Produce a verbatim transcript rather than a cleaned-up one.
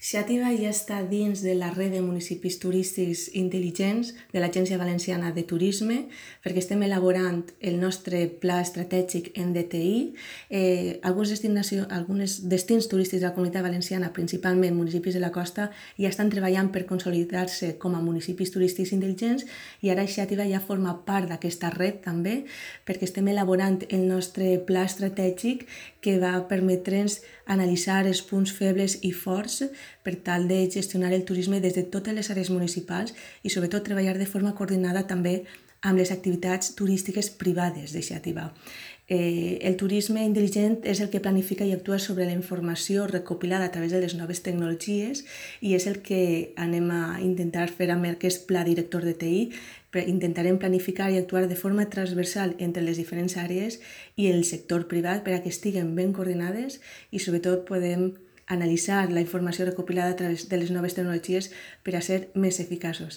Xàtiva ja està dins de la red de municipis turístics intel·ligents de l'Agència Valenciana de Turisme, perquè estem elaborant el nostre pla estratègic en D T I. Eh, alguns alguns destins turístics de la Comunitat Valenciana, principalment municipis de la costa, ja estan treballant per consolidar-se com a municipis turístics intel·ligents i ara Xàtiva ja forma part d'aquesta red també, perquè estem elaborant el nostre pla estratègic que va permetre'ns analitzar els punts febles i forts per tal de gestionar el turisme des de totes les àrees municipals i sobretot treballar de forma coordinada també amb les activitats turístiques privades de Xàtiva. Eh, el turisme intel·ligent és el que planifica i actua sobre la informació recopilada a través de les noves tecnologies i és el que anem a intentar fer amb aquest pla director de T I. Intentarem planificar i actuar de forma transversal entre les diferents àrees i el sector privat per a que estiguen ben coordinades i sobretot podem analitzar la informació recopilada a través de les noves tecnologies per a ser més eficaços.